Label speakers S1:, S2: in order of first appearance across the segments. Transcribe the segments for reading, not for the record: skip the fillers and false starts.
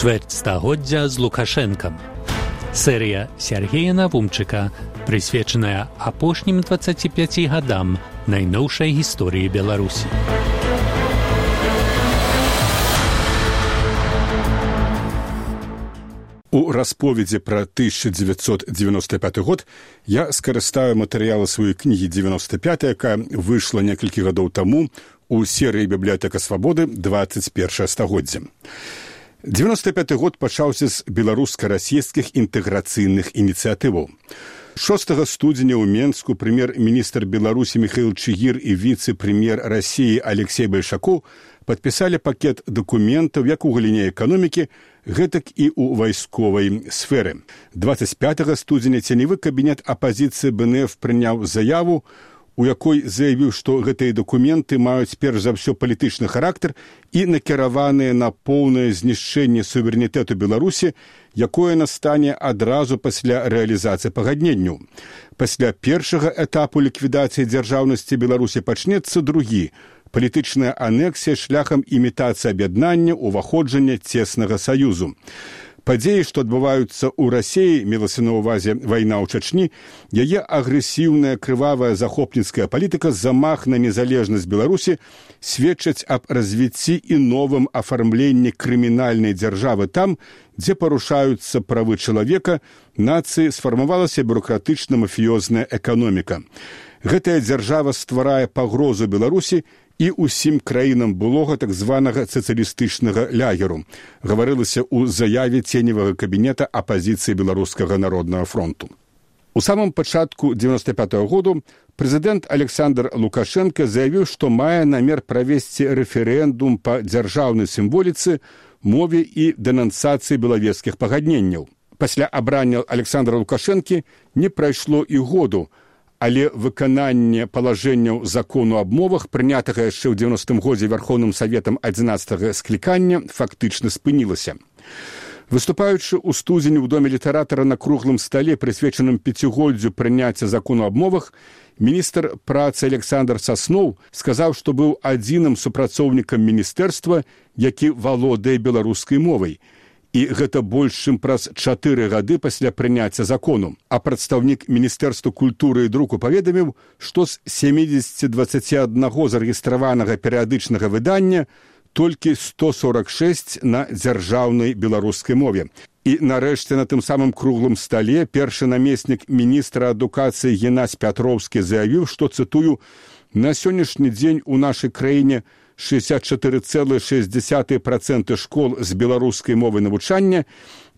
S1: Чверть стагоддзя з Лукашэнкам. Серія Сергея Навумчыка, прысвечаная апошнім 25 гадам найноўшай гісторыі Беларусі.
S2: У расповедзе пра 1995 год я скарыстаю матэрыялы сваёй кнігі 95, якая выйшла некалькі гадоў таму у серыі «Бібліятэка свабоды. 21 стагоддзе». 95 год пачаўся з беларуска-расійскіх інтэграцыйных ініцыятываў. 6 студзеня ў Менску прэм'ер-міністр Беларусі Міхаіл Чыгір і віцэ-прэм'ер Расіі Алексей Большакоў падпісалі пакет дакументаў як у галіне эканомікі, гэтак і ў вайсковай сферы. 25 студзеня ценевы кабінет апазіцыі БНФ прыняў заяву, у якой заявіў, што гэтыя дакументы маюць перш за ўсё палітычны характар і накіраваныя на поўнае знішчэнне суверэнітэту Беларусі, якое настане адразу пасля рэалізацыі пагадненняў. Пасля першага этапу ліквідацыі дзяржаўнасці Беларусі пачнецца другі – палітычная анексія шляхам імітацыі аб'яднання, уваходжання цеснага саюзу. Падзеі, што адбываюцца ў Расіі, мелася на ўвазе вайна ў Чачні, яе агрэсіўная, крывавая захопніцкая палітыка, замах на незалежнасць Беларусі сведчаць аб развіцці і новым афармленні крымінальнай дзяржавы там, дзе парушаюцца правы чалавека, нацыі сфармавалася бюрократычна-мафіёзная эканоміка. Гэтая дзяржава стварае пагрозу Беларусі і ўсім краінам былога так званага сацыялістычнага лягеру, гаварылася ў заяве ценевага кабінета апазіцыі Беларускага народнага фронту. У самым пачатку 95-го году прэзідэнт Александр Лукашенко заявіў, што мае намер правесці рэферэндум па дзяржаўнай сімволіцы, мове і дэнансацыі белавежскіх пагадненняў. Пасля абрання Александра Лукашэнкі не прайшло і году, але выкананне палажэнняў закону аб мовах, прынятага яшчэ ў 90-м годзе Верховным Саветам 11-го склікання, фактычна спынілася. Выступаючы ў студзені ў Доме літаратара на круглым стале, прысвечаным 5-годдзю прыняцця закону аб мовах, міністр працы Александр Сасноў сказаў, што быў адзіным супрацоўнікам міністэрства, які валодае беларускай мовай. І гэта больш, чым праз 4 гады пасля прыняцця закону. А прадстаўнік Міністэрства культуры і друку паведаміў, што з 70-21 зарэгістраванага перыядычнага выдання толькі 146 на дзяржаўнай беларускай мове. І нарэшце на тым самым круглым стале першы намеснік міністра адукацыі Геннадзь Пятроўскі заявіў, што, цытую, «На сённяшні дзень у нашай краіне 64,6% школ з беларускай мовай навучання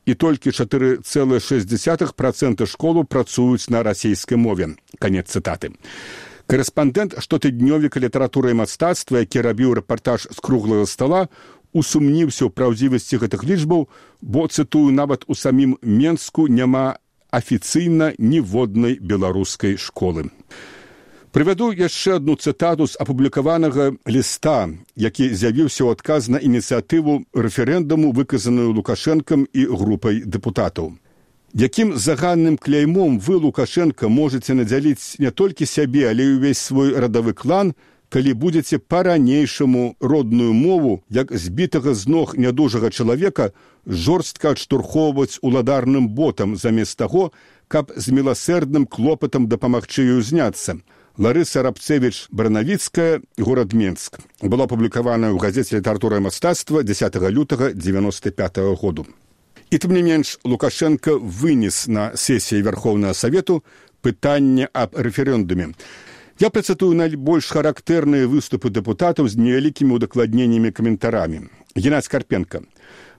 S2: і толькі 4,6% школу працуюць на расійскай мове». Канец цытаты. Карэспандэнт штотыднёвіка літаратуры і мастацтва, які рабіў рэпартаж з круглага стала, усумніўся ў праўдзівасці гэтых лічбаў, бо, цытую, нават у самім Менску няма афіцыйна ніводнай беларускай школы. Прывяду яшчэ адну цытату з апублікаванага ліста, які з'явіўся ў адказ на ініцыятыву рэферэндуму, выказаную Лукашэнкам і групай дэпутатаў. Якім заганным кляймом вы, Лукашенко, можаце надзяліць не толькі сябе, але і ўвесь свой радавы клан, калі будзеце па-ранейшаму родную мову, як збітага з ног нядужага чалавека, жорстка адштурхоўваць уладарным ботам, замест таго, каб з міласэрдным клопатам дапамагчы ёй узняцца. Ларыса Рабцевіч-Баранавіцкая, горад Менск. Была апублікаваная ў газеце «Літаратура і мастацтва» 10 лютага 95 году. І тым не менш, Лукашенко вынес на сесіі Верховнага Савету пытанне аб рэферэндуме. Я працытую найбольш характэрныя выступы дэпутатаў з невялікімі удакладненнямі каментарамі. Геннадзь Карпенко.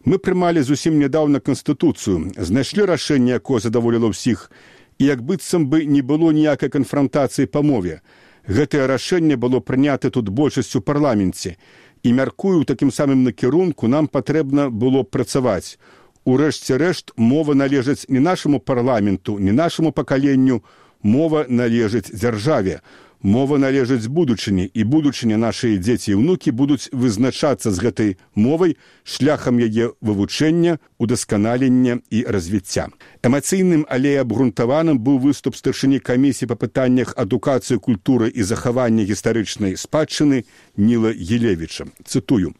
S2: Мы прымалі зусім нядаўна Канстытуцыю, знайшлі рашэнне, якое задаволіла ўсіх, і як быццам бы не было ніякай канфрантацыі па мове. Гэтае рашэнне было прынята тут большасцю ў парламенце. І, мяркую, такім самым накірунку нам патрэбна было працаваць. Урэшце рэшт, мова належыць не нашаму парламенту, не нашаму пакаленню, мова належыць дзяржаве. Мова належыць будучыні, і будучыня нашыя дзеці і ўнукі будуць вызначацца з гэтай мовай шляхам яе вывучэння, удасканалення і развіцця. Эмацыйным, але абгрунтаваным быў выступ старшыні камісіі па пытаннях адукацыі, культуры і захавання гістарычнай спадчыны Ніла Елевіча. Цытую.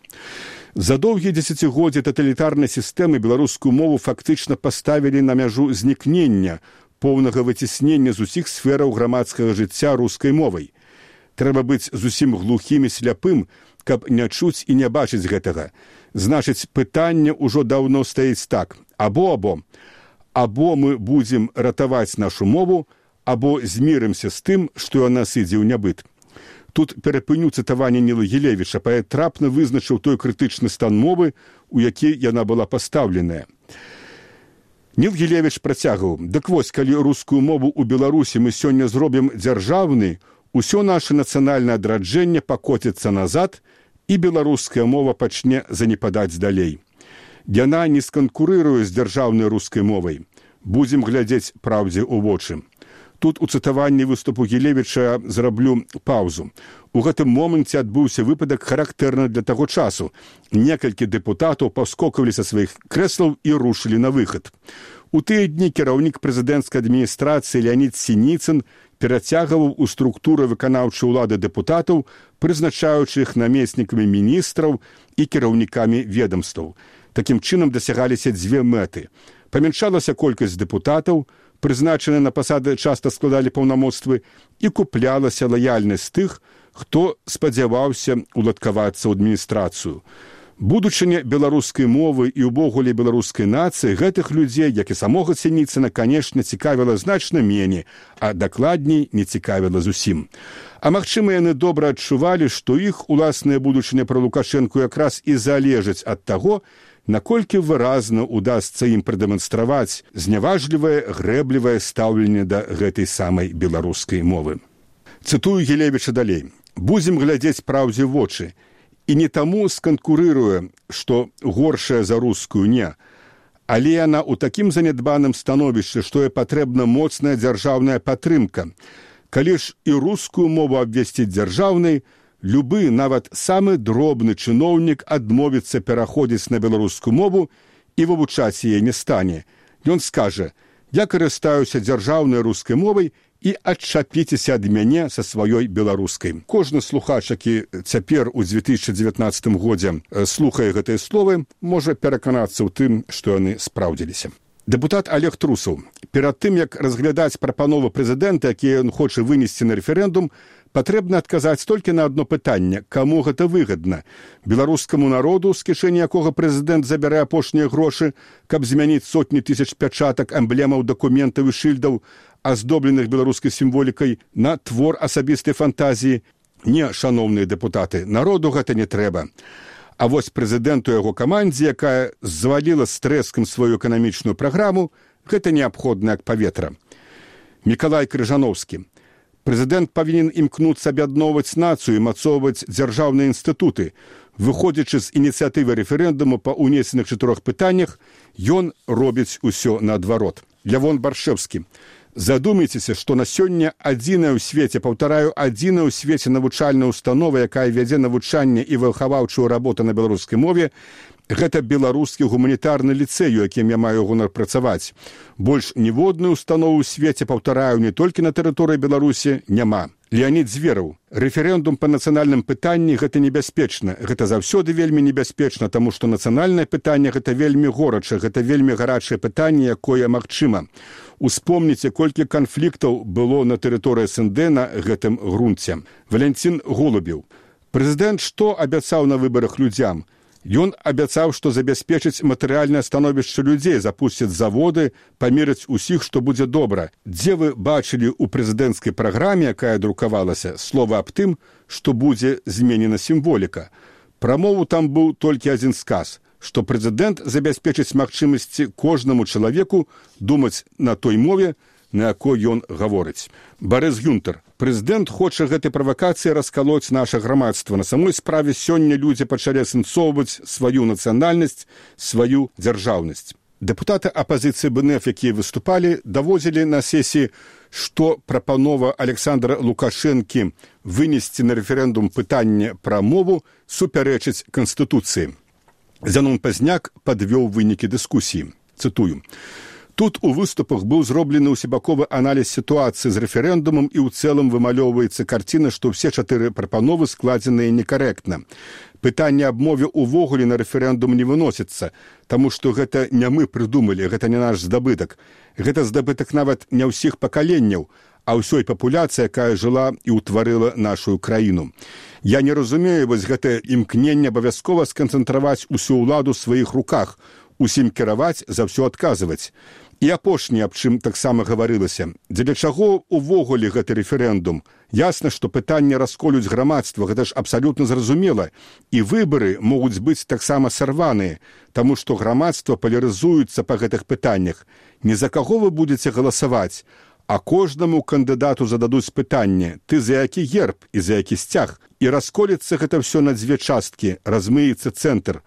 S2: За доўгія дзесяцігоддзі таталітарнай сістэмы беларускую мову фактычна паставілі на мяжу знікнення, поўнага выціснення з усіх сфераў грамадскага жыцця рускай мовай. Трэба быць зусім глухім і сляпым, каб не чуць і не бачыць гэтага. Значыць, пытанне ўжо даўно стаіць так. Або мы будзем ратаваць нашу мову, або змірымся з тым, што яна сыдзе ў нябыт. Тут перапыню цытаванне Ніла Гілевіча, паэт трапна вызначыў той крытычны стан мовы, у які яна была пастаўленая. Ніл Гілевіч працягваў: «Дык вось, калі рускую мову ў Беларусі мы сёння зробім дзяржаўнай, усё наше нацыянальнае адраджэнне пакоціцца назад, і беларуская мова пачне занепадаць далей. Яна не сканкурыруе з дзяржаўнай рускай мовай. Будзем глядзець праўдзе ў вочы». Тут у цытаванні выступу Гілевіча зраблю паўзу. У гэтым моманце адбыўся выпадак характэрны для таго часу. Некалькі дэпутатаў паскокавалі са сваіх крэслаў і рушылі на выхад. У тыя дні кіраўнік прэзідэнцкай адміністрацыі Леонід Сініцын перацягваў у структуры выканаўчай улады дэпутатаў, прызначаючы іх намеснікамі міністраў і кіраўнікамі ведамстваў. Такім чынам дасягаліся дзве мэты. Памяншалася колькасць дэпутатаў, прызначаныя на пасады часта складалі паўнамоцтвы, і куплялася лаяльнасць тых, хто спадзяваўся уладкавацца ў адміністрацыю. Будучыня беларускай мовы і ўвогуле беларускай нацыі гэтых людзей, як і самога Сініцына, канешне, цікавіла значна меней, а дакладней не цікавіла зусім. А магчыма, яны добра адчувалі, што іх уласная будучыня пра Лукашэнку якраз і залежыць ад таго, наколькі выразна удасца ім прадэманстраваць зняважлівае, грэблівае стаўленне да гэтай самай беларускай мовы. Цытую Гілевіча далей. «Будзем глядзець праўдзе ў вочы. І не таму сканкурыруе, што горшая за рускую не, але яна ў такім занядбаным становішчы, што і патрэбна моцная дзяржаўная падтрымка. Калі ж і рускую мову абвесціць дзяржаўнай, любы, нават самы дробны чыноўнік адмовіцца пераходзіць на беларускую мову і вывучаць яе не стане. Ён скажа: «Я карыстаюся дзяржаўнай рускай мовай і адчапіцеся ад мяне са сваёй беларускай». Кожны слухач, які цяпер у 2019 годзе слухае гэтыя словы, можа пераканацца ў тым, што яны спраўдзіліся. Дэпутат Олег Трусаў. Перад тым, як разглядаць прапановы прэзідэнта, якія ён хоча вынесці на рэферэндум, патрэбна адказаць толькі на адно пытанне: каму гэта выгадна? Беларускаму народу, з кішэні якога прэзідэнт забярэ апошнія грошы, каб змяніць сотні тысяч пячатак, эмблемаў, дакументаў і шыльдаў, аздобленых беларускай сімволікай, на твор асабістай фантазіі? Не, шаноўныя дэпутаты, народу гэта не трэба. А вось прэзідэнту яго камандзе, якая зваліла з трэскам сваю эканамічную праграму, гэта неабходна як паветра. Мікалай Крыжановскі. Прэзідэнт павінен імкнуцца аб'ядноўваць нацыю і мацоўваць дзяржаўныя інстытуты. Выходзячы з ініцыятывы рэферэндуму па ўнесеных 4 пытаннях, ён робіць усё наадварот. Лявон Баршэўскі. Задумайцеся, што на сёння адзіная ў свеце, паўтараю, адзіная ў свеце навучальная установа, якая вядзе навучанне і выхаваўчую работу на беларускай мове, гэта беларускі гуманітарны ліцэй, у якім я маю гонар працаваць. Больш ніводную установу ў свеце, паўтараю, не толькі на тэрыторыі Беларусі, няма. Леонід Звераў. Рэферэндум па нацыянальным пытанні гэта небяспечна. Гэта заўсёды вельмі небяспечна, таму што нацыянальнае пытанне гэта вельмі горача, гэта вельмі гарачае пытанне, якое магчыма. Успомніце, колькі канфліктаў было на тэрыторыі СНД на гэтым грунце. Валянцін Голубеў. Прэзідэнт што абяцаў на выбарах людзям? Ён абяцаў, што забяспечыць матэрыяльнае становішча людзей, запусціць заводы, памерыць усіх, што будзе добра. Дзе вы бачылі ў прэзідэнцкай праграме, якая друкавалася, слова аб тым, што будзе зменена сімволіка? Пра мову там быў толькі адзін сказ, што прэзідэнт забяспечыць магчымасці кожнаму чалавеку думаць на той мове, на якой ён гаворыць. Барыс Гюнтер. Прэзідэнт хоча гэтай правакацыі раскалоць наша грамадства. На самой справе сёння людзі пачалі асэнсоўваць сваю нацыянальнасць, сваю дзяржаўнасць. Дэпутаты апазіцыі БНФ, якія выступалі, даводзілі на сесіі, што прапанова Александра Лукашэнкі вынесці на рэферэндум пытанне пра мову супярэчыць Канстытуцыі. Зянон Пазняк падвёў вынікі дыскусіі. Цытую. Тут у выступах быў зроблены ўсебаковы аналіз сітуацыі з рэферэндумам і ў цэлым вымалёўваецца карціна, што ўсе 4 прапановы складзеныя некарэктна. Пытанне аб мове ўвогуле на рэферэндум не выносіцца, таму што гэта не мы прыдумалі, гэта не наш здабытак. Гэта здабытак нават не ўсіх пакаленняў, а ўсёй папуляцыі, якая жыла і ўтварыла нашу краіну. Я не разумею вось гэтае імкненне абавязкова сканцэнтраваць усю ўладу ў сваіх руках, усім кіраваць, за ўсё адказваць. І апошняе, аб чым таксама гаварылася. Дзеля чаго ўвогуле гэты рэферэндум? Ясна, што пытанне расколюць грамадства, гэта ж абсалютна зразумела. І выбары могуць быць таксама сарваныя, таму што грамадства палярызуецца па гэтых пытаннях. Не за каго вы будзеце галасаваць, а кожнаму кандыдату зададуць пытанне: ты за які герб і за які сцяг? І расколіцца гэта ўсё на дзве часткі, размыецца цэнтр.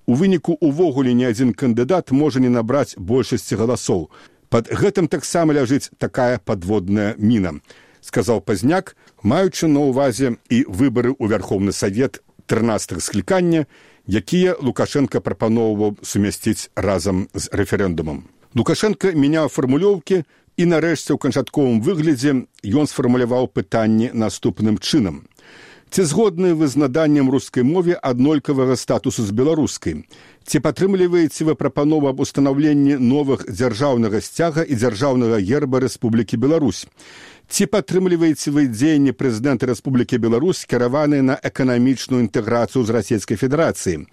S2: У выніку увогуле ні адзін кандыдат можа не набраць большасці галасоў. Пад гэтым таксама ляжыць такая падводная міна, сказаў Пазняк, маючы на ўвазе і выбары ў Вярхоўны Савет 13-х склікання, якія Лукашенко прапаноўваў сумясціць разам з рэферэндумам. Лукашенко мяняў фармулёўкі і нарэшце ў канчатковым выглядзе ён сфармуляваў пытанне наступным чынам. Ці згодныя вы з наданнем рускай мове аднолькавага статусу з беларускай? Ці падтрымліваеце вы прапанову аб устанаўленні новых дзяржаўнага сцяга і дзяржаўнага герба Рэспублікі Беларусь? Ці падтрымліваеце вы дзеянні прэзідэнта Рэспублікі Беларусь, кіраваныя на эканамічную інтэграцыю з Расійскай Федэрацыі?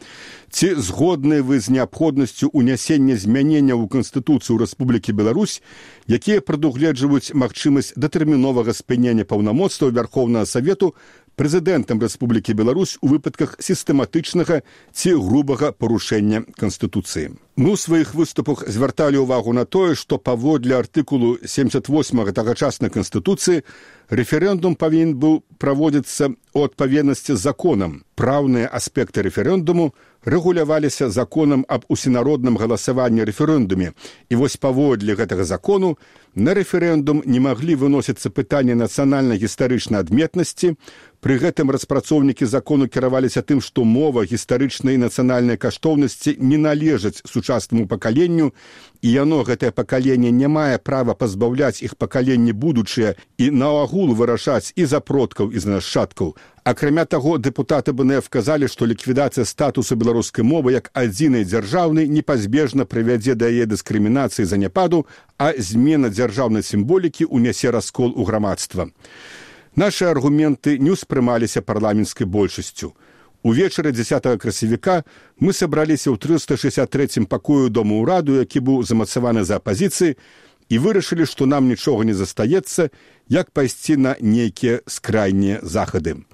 S2: Ці згодныя вы з неабходнасцю ўнясення змяненняў у Канстытуцыю Рэспублікі Беларусь, якія прадугледжваюць магчымасць датэрміновага спынення паўнамоцтваў Вярхоўнага Савету прэзідэнтам Рэспублікі Беларусь у выпадках сістэматычнага ці грубага парушэння Канстытуцыі? Мы ў сваіх выступах звярталі ўвагу на тое, што паводле артыкулу 78 тагачаснай Канстытуцыі рэферэндум павінен быў праводзіцца ў адпаведнасці з законам. Праўныя аспекты рэферэндуму рэгуляваліся законам аб усенародным галасаванні рэферэндуме. І вось паводле гэтага закону на рэферэндум не маглі выносіцца пытанні нацыянальна-гістарычнай адметнасці. Пры гэтым распрацоўнікі закону кіраваліся тым, што мова, гістарычнай і нацыянальнай каштоўнасці не належаць сучаснаму пакаленню, і яно, гэтае пакаленне, не мае права пазбаўляць іх пакаленні будучыя і наогул вырашаць і за продкаў, і за нашчадкаў. Акрамя таго, дэпутаты БНФ казалі, што ліквідацыя статусу беларускай мовы як адзінай дзяржаўнай непазбежна прывядзе да яе дыскрымінацыі заняпаду, а змена дзяржаўнай сімволікі ўнясе раскол у грамадства. Нашы аргументы не ўспрымаліся парламенцкай большасцю. Увечары 10 красавіка мы сабраліся ў 363 пакою Дома ўраду, які быў замацаваны за апазіцыяй, і вырашылі, што нам нічога не застаецца, як пайсці на нейкія скрайнія захады.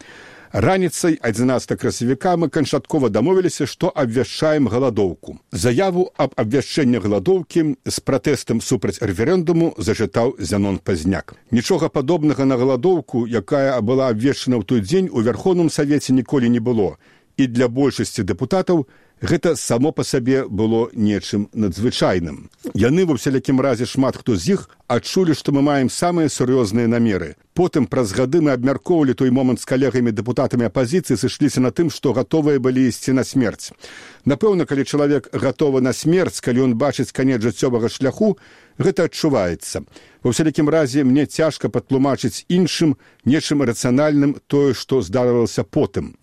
S2: Раніцай 11 красавіка мы канчаткова дамовіліся, што абвяшчаем галадоўку. Заяву аб абвяшчэнні галадоўкі з пратэстам супраць рэферэндуму зачытаў Зянон Пазняк. Нічога падобнага на галадоўку, якая была абвешчана ў той дзень, у Вярхоўным Савеце ніколі не было. І для большасці дэпутатаў гэта само па сабе было нечым надзвычайным. Яны, ва ўсялякім разе, шмат хто з іх адчулі, што мы маем самыя сур'ёзныя намеры. Потым, праз гады, мы абмяркоўвалі той момант з калегамі-дэпутатамі апазіцыі, сышліся на тым, што гатовыя былі ісці на смерць. Напэўна, калі чалавек гатовы на смерць, калі ён бачыць канец жыццёвага шляху, гэта адчуваецца. Ва ўсялякім разе, мне цяжка патлумачыць іншым, нечым рацыянальным тое, што здарылася потым.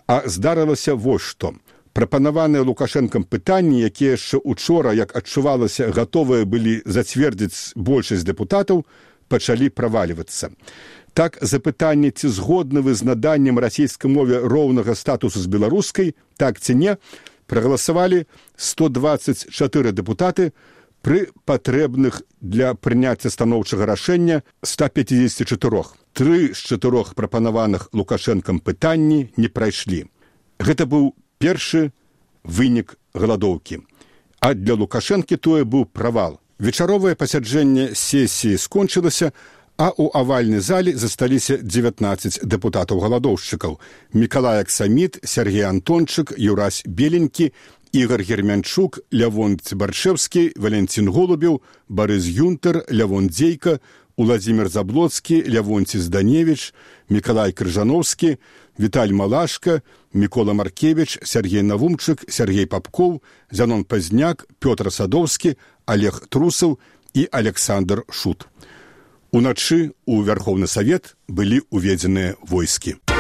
S2: А здарылася вось што. Прапанаваныя Лукашэнкам пытанні, якія яшчэ учора, як адчувалася, гатовыя былі зацвердзіць большасць дэпутатаў, пачалі правальвацца. Так, запытанне, ці згодны вы з наданнем расійскай мове роўнага статусу з беларускай, так ці не, прагаласавалі 124 дэпутаты пры патрэбных для прыняцця станоўчага рашэння 154. 3 з 4 прапанаваных Лукашэнкам пытанні не прайшлі. Гэта быў першы вынік галадоўкі. А для Лукашэнкі тое быў правал. Вечаровае пасяджэнне сесіі скончылася, а ў авальнай зале засталіся 19 дэпутатаў-галадоўшчыкаў: Мікалай Аксаміт, Сергей Антончык, Юрась Беленькі, Ігор Гермянчук, Лявон Цыбаршэвскі, Валентин Голубеў, Барыс Юнтер, Лявон Дзейка, Уладзімір Заблоцкі, Лявонці Зданевіч, Мікалай Крыжановскі, Віталь Малашка, Мікола Маркевіч, Сергей Навумчык, Сергей Папкоў, Зянон Пазняк, Пётр Садоўскі, Олег Трусаў і Александр Шут. Уначы ў Вярхоўны Савет былі ўведзеныя войскі.